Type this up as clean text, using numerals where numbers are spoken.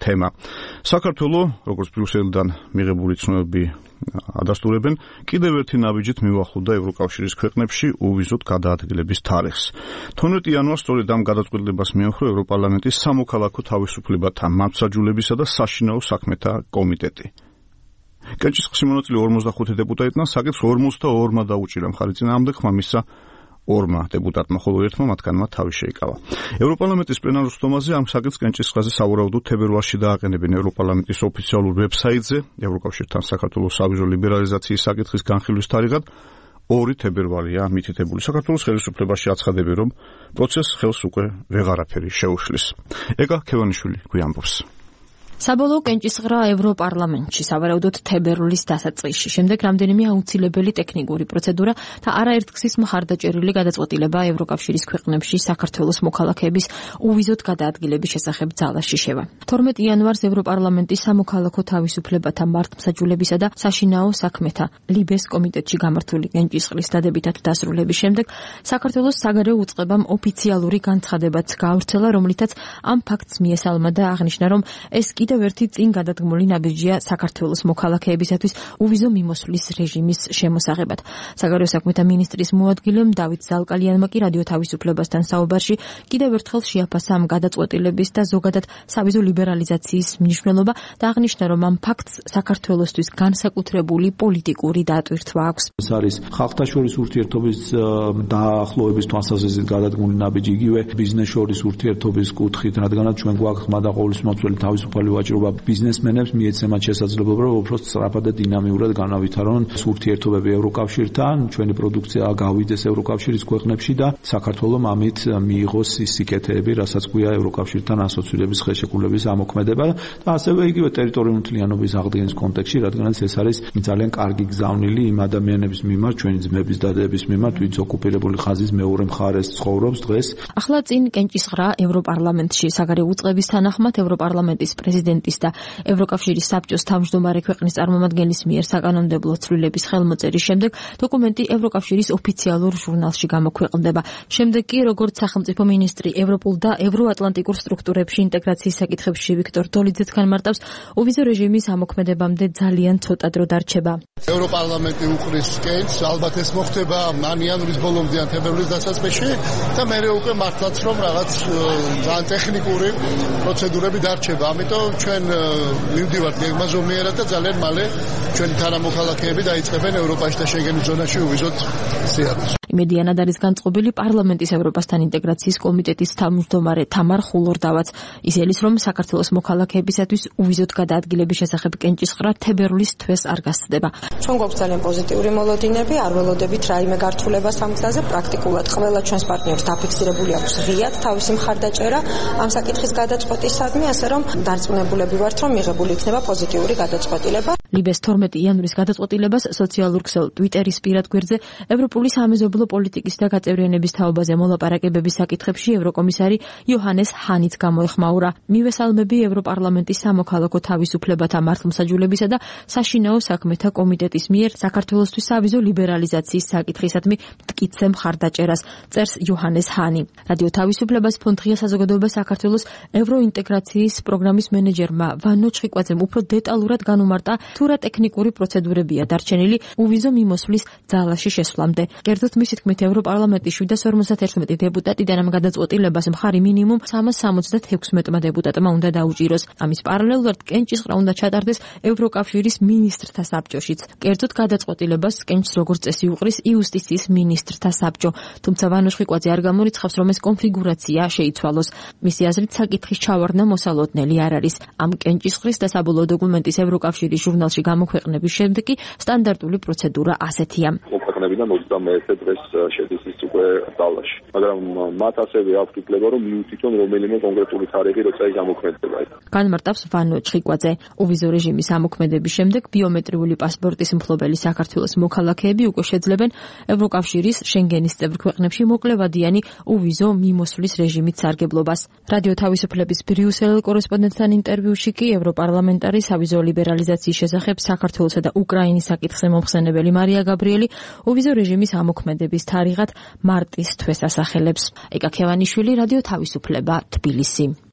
თემა. საქართველო, როგორც ბრიუსელიდან მიღებული ცნობები ადასტურებენ, კიდევ ერთი ნაბიჯით მივახლოვდა ევროკავშირის ქვეყნებში უვიზოდ გადაადგილების თარიღს. 12 იანვარს სწორედ ამ გადაწყვეტილებას მიუხვდა ევროპარლამენტის სამოქალაქო თავისუფლებათა მართლმსაჯულებისა და საშინაო საქმეთა კომიტეტი. კენჭისყრის მონაწილე 45 დეპუტატიდან საკითხს 42-მა დაუჭირა მხარი წინააღმდეგ, ხმა მისცა 2 დეპუტატმა, ხოლო 1-მა მათგანმა თავი შეიკავა. ევროპარლამენტის პლენარულ სხდომაზე ამ საკითხს კენჭისყრაზე სავარაუდოდ თებერვალში დააყენებენ ევროპარლამენტის ოფიციალურ ვებსაიტზე, ევროკავშირთან საქართველოს სავიზო ლიბერალიზაციის საკითხის განხილვის თარიღად 2 თებერვალია მითითებული. საქართველოს ხელისუფლებაში აცხადებენ, რომ პროცესს ხელს უკვე ვეღარაფერი შეუშლის. ეკა ქევანიშვილი გვიამბობს. საბოლოო კენჭისყრა ევროპარლამენტში სავარაუდოდ თებერვლის დასაწყისში. შემდეგ რამდენიმე აუცილებელი ტექნიკური პროცედურა და არაერთგზის მხარდაჭერილი გადაწყვეტილება ევროკავშირის ქვეყნებში საქართველოს მოქალაქეების უვიზოდ გადაადგილების შესახებ ძალაში შევა. 12 იანვარს ევროპარლამენტის სამოქალაქო თავისუფლებათა მართლმსაჯულებისა და საშინაო საქმეთა ლიბეს კომიტეტში გამართული კენჭისყრის დადებითად დასრულების შემდეგ საქართველოს საგარეო უწყებამ ოფიციალური განცხადებაც გაავრცელა, რომლითაც ამ ფაქტს მიესალმა და აღნიშნა, რომ ეს კიდევ ერთი წინ გადადგმული ნაბიჯია საქართველოს მოქალაქეებისათვის უვიზო მიმოსვლის რეჟიმის შემოსაღებად. საგარეო საქმეთა მინისტრის მოადგილემ დავით ზალკალიანმა კი რადიო თავისუფლებასთან საუბარში კიდევ ერთხელ შეაფასა ამ გადაწყვეტილების და ზოგადად სავიზო ლიბერალიზაციის მნიშვნელობა და აღნიშნა, რომ ამ ფაქტს საქართველოსთვის განსაკუთრებული პოლიტიკური დატვირთვა აქვს. ეს არის ხალხთა შორის ურთიერთობის დაახლოების თვალსაზრისით გადადგმული ნაბიჯი, იგივე ბიზნეს შორის ურთიერთობის კუთხით, რადგანაც ჩვენ გვაქვს ხმა და ყოვლისმომცველი თავისუფალი ვაჭრობა ბიზნესმენებს მიეცემათ შესაძლებლობა, რომ უფრო სწრაფად და დინამიურად განავითარონ ურთიერთობები ევროკავშირთან, ჩვენი პროდუქცია გავიდეს ევროკავშირის ქვეყნებში და საქართველომ ამით მიიღოს ის სიკეთეები, რასაც გვია ევროკავშირთან ასოცირების ხელშეკრულების ამოქმედება და ასევე იგივე ტერიტორიული მთლიანობის აღდგენის კონტექსტში, რადგანაც ეს არის ძალიან კარგი გზავნილი იმ ადამიანების მიმართ, ჩვენი ძმების და დედების მიმართ, ვინც ოკუპირებული ხაზის მეორე მხარეს ცხოვრობს დღეს. ახლა წინ კენჭისყრა ევროპარლამენტში. საგარეო უწყების თანახმად ევროპარლამენტის პრეზიდენტის და ევროკავშირის საბჭოს თავმჯდომარე ქვეყნის წარმომადგენლის მიერ საკანონმდებლო ცვლილების ხელმოწერის შემდეგ დოკუმენტი ევროკავშირის ოფიციალურ ჟურნალში გამოქვეყნდება. შემდეგ კი, როგორც სახელმწიფო მინისტრი ევროპულ და ევროატლანტიკურ სტრუქტურებში ინტეგრაციის საკითხებში ვიქტორ დოლიძე განმარტავს, უვიზო რეჟიმის ამოქმედებამდე ძალიან ცოტა დრო დარჩება. ევროპარლამენტი უყრის კენჭს, ალბათ ეს მოხდება ან იანვრის ბოლომდე ან თებერვლის დასაწყისში და მერე უკვე მართლაც რომ რაღაც ძალიან ტექნიკური პროცედურები დარჩება. ამიტომ ჩვენ მივდივართ გეგმაზომიერად და ძალიან მალე ჩვენი თანამოქალაქეები დაიწყებენ ევროპაში და შენგენის ზონაში უვიზოდ სიარულს. იმედიანად არის განწყობილი პარლამენტის ევროპასთან ინტეგრაციის კომიტეტის თავმჯდომარე თამარ ხულორდავაც. ის ელის, რომ საქართველოს მოქალაქეებისათვის უვიზოდ გადაადგილების შესახებ კენჭისყრა თებერვლის თვეს არ გასცდება. ჩვენ გვაქვს ძალიან პოზიტიური მოლოდინები, არ ველოდებით რაიმე გართულებას ამ გზაზე. პრაქტიკულად ყველა ჩვენს პარტნიორს დაფიქსირებული აქვს ღიად თავისი მხარდაჭერა ამ საკითხის გადაწყვეტისადმი, ასე რომ დარწმუნებულები ვართ, რომ მიღებული იქნება პოზიტიური გადაწყვეტილება. ლიბეს 12 იანვრის გადაწყვეტილებას სოციალურ ქსელ ტვიტერის პირად გვერდზე ევროპული სამეზობლო პოლიტიკის და გაწევრიანების თაობაზე მოლაპარაკებების საკითხებში ევროკომისარი იოჰანეს ჰანიც გამოეხმაურა. მივესალმები ევროპარლამენტის სამოქალაქო თავისუფლებათა მართლმსაჯულებისა და საშინაო საქმეთა კომიტეტის მიერ საქართველოსთვის სავიზო ლიბერალიზაციის საკითხისადმი მტკიცე მხარდაჭერას, წერს იოჰანეს ჰანი. რადიო თავისუფლებას ფონდ ღია საზოგადოება საქართველოს ევროინტეგრაციის პროგრამის მენეჯერმა ვანო ჩხიკვაძემ უფრო დეტალურად განუმარტა, თუ რა ტექნიკური პროცედურებია დარჩენილი უვიზო მიმოსვლის ძალაში შესვლამდე. კერძოდ მისი თქმით, ევროპარლამენტის 751 დეპუტატიდან ამ გადაწყვეტილებას მხარი მინიმუმ 376 დეპუტატმა უნდა დაუჭიროს. ამის პარალელურად კენჭისყრა უნდა ჩატარდეს ევროკავშირის მინისტრთა საბჭოშიც. კერძოდ გადაწყვეტილებას კენჭს როგორც წესი უყრის იუსტიციის მინისტრთა საბჭო. თუმცა ვანო ჩხიკვაძე არ გამორიცხავს, რომ ეს კონფიგურაცია შეიცვალოს. მისი აზრით, საკითხის ჩავარდნა მოსალოდნელი არ არის. ამ კენჭისყრის და საბოლოო დოკუმენტის ევროკავშირის ჟურნალში გამოქვეყნების შემდეგ კი სტანდარტული პროცედურა ასეთია. ქვეყნებიდან 21 დღეს შედის ის უკვე ძალაში. მაგრამ მათ ასევე აქვთ უფლება, რომ მიუთითონ რომელიმე კონკრეტული თარიღი, როცა ის ამოქმედდება. განმარტავს ვანო ჩხიკვაძე. უვიზო რეჟიმის ამოქმედების შემდეგ ბიომეტრიული პასპორტის მფლობელი საქართველოს მოქალაქეები უკვე შეძლებენ ევროკავშირის შენგენის წევრ ქვეყნებში მოკლევადიანი უვიზო მიმოსვლის რეჟიმით სარგებლობას. რადიო თავისუფლების ბრიუსელ კორესპონდენტთან ინტერვიუში კი ევროპარლამენტარი სავიზო ლიბერალიზაციის შესახებ საქართველოსა და უკრაინის საკითხზე მომხსენებელი მარია გაბრიელი უვიზო რეჟიმის ამოქმედების თარიღად მარტის თვეს ასახელებს. ეკა ქევანიშვილი, რადიო თავისუფლება, თბილისი.